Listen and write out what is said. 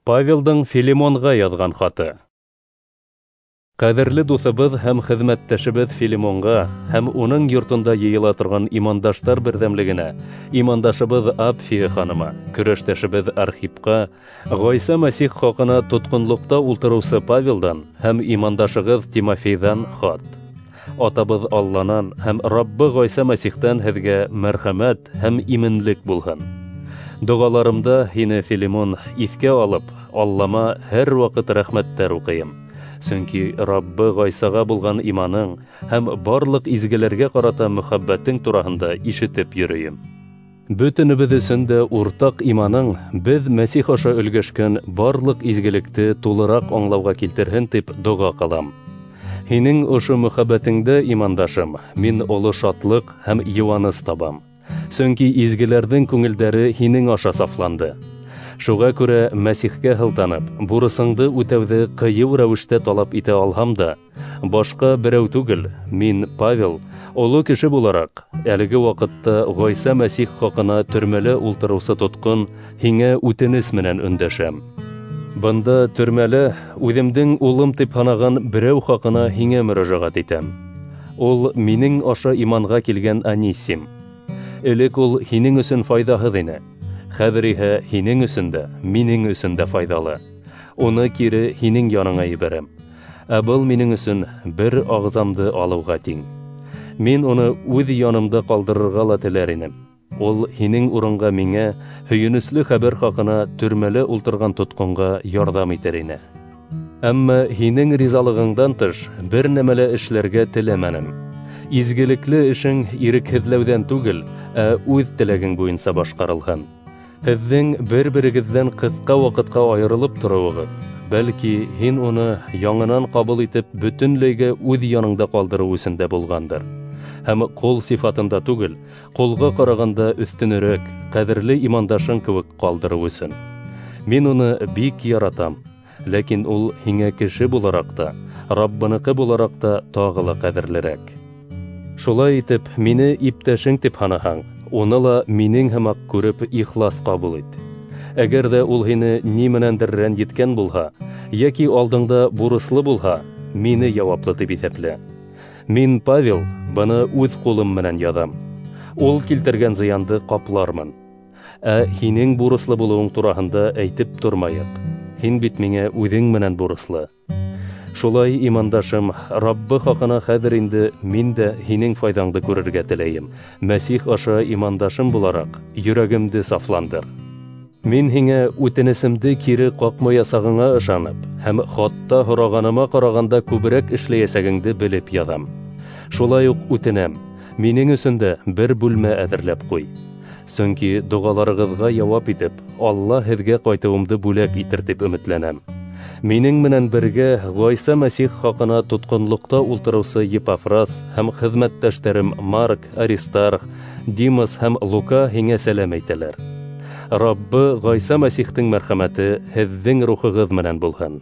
Павелдың Филимонға яҙған хаты. Ҡәҙерле дуҫыбыҙ һәм хеҙмәттәшебеҙ Филимонға һәм уның йортонда йыйыла торған имандаштар берҙәмлегенә, имандашыбыҙ Апфия ханыма, көрәштәшебеҙ Архипҡа, Ғайса Мәсих хаҡына тотҡонлоҡта ултырыусы Павелдан һәм имандашығыҙ Тимофейҙан хат. Атабыҙ Алланан һәм Раббы Ғайса Мәсихтән һеҙгә мәрхәмәт һәм именлек булһын. Доғаларымда һине, Филимон, иҫкә алып, Аллама һәр ваҡыт рәхмәттәр уҡыйым. Сөнки Раббы Ғайсаға булған иманың һәм барлыҡ изгеләргә ҡарата мөхәббәтең тураһында ишетеп йөрөйөм. Бөтөнөбөҙ өсөн дә уртаҡ иманың беҙ Мәсих аша өлгәшкән барлыҡ изгелекте тулыраҡ аңлауға килтерһен тип доға ҡылам. Һинең ошо мөхәббәтеңдә, имандашым, мин оло шатлыҡ һәм йыуаныс табам. Сөнки изгеләрҙең күңелдәре һинең аша сафланды. Шуға күрә Мәсихкә һылтанып, бурысыңды үтәүҙе ҡыйыу рәүештә талап итә алһам да, башҡа берәү түгел, мин, Павел, оло кеше булараҡ, әлеге ваҡытта Ғайса Мәсих хаҡына төрмәлә ултырыусы тотҡон һиңә үтенес менән өндәшәм. Бында төрмәлә үҙемдең улым тип һанаған берәү хаҡына һиңә мөрәжәғәт итәм. Ул минең аша иманға килгән Анисим. Элек ул һинең өсөн файҙаһыҙ ине. Хәҙер иһә һинең өсөн дә, минең өсөн дә файҙалы. Уны кире һинең яныңа ебәрәм. Ә был минең өсөн бер ағзамды алыуға тиң. Мин уны үҙ янымда ҡалдырырға ла теләр инем. Ул һинең урынға миңә һөйөнөслө хәбәр хаҡына төрмәлә ултырған тотҡонға ярҙам итер ине. Әммә һинең ризалығыңдан тыш бер нәмә лә эшләргә теләмәнем. Изгелекле эшең ирекһеҙләүҙән түгел, ә үҙ теләгең буйынса башҡарылһын. Һеҙҙең бер-берегеҙҙән ҡыҫҡа ваҡытҡа айырылып тороуығыҙ, бәлки һин уны яңынан ҡабул итеп бөтөнләйгә үҙ яныңда ҡалдырыу өсөн дә булғандыр. Һәм ҡол сифатында түгел, ҡолға ҡарағанда өҫтөнөрәк, ҡәҙерле имандашың кеүек ҡалдырыу өсөн. Мин уны бик яратам, ләкин ул һиңә кеше булараҡ та, Раббыныҡы булараҡ та тағы ла ҡәҙерлерәк. Шулай итеп, мине иптәшең тип һанаһаң, уны ла минең һымаҡ күреп ихлас ҡабул ит. Әгәр ҙә ул һине ни менәндер рәнйеткән булһа, йәки алдыңда бурыслы булһа, мине яуаплы тип иҫәплә. Мин, Павел, быны үҙ ҡулым менән яҙам. Ул килтергән зыянды ҡаплармын. Ә һинең бурыслы булыуың тураһында әйтеп тормайыҡ. Һин бит миңә үҙең менән бурыслы. Шулай, имандашым, Раббы хаҡына хәҙер инде мин дә һинең файҙаңды күрергә теләйем. Мәсих аша имандашым булараҡ, йөрәгемде сафландыр. Мин һиңә үтенесемде кире ҡаҡмаясағыңа ышанып, һәм хатта һорағаныма ҡарағанда күберәк эшләйәсәгеңде белеп яҙам. Шулай уҡ үтенәм, минең өсөн дә бер бүлмә әҙерләп ҡуй. Сөнки доғаларығыҙға яуап итеп, Алла һеҙгә ҡайтыуымды бүләк итер тип өмөтләнәм. Минең менән бергә Ғайса Мәсих хаҡына тотҡонлоҡта ултырыусы Епафрас һәм хеҙмәттәштәрем Марк, Аристарх, Димас һәм Лука һиңә сәләм әйтәләр. Раббы Ғайса Мәсихтең мәрхәмәте һеҙҙең рухығыҙ менән булһын.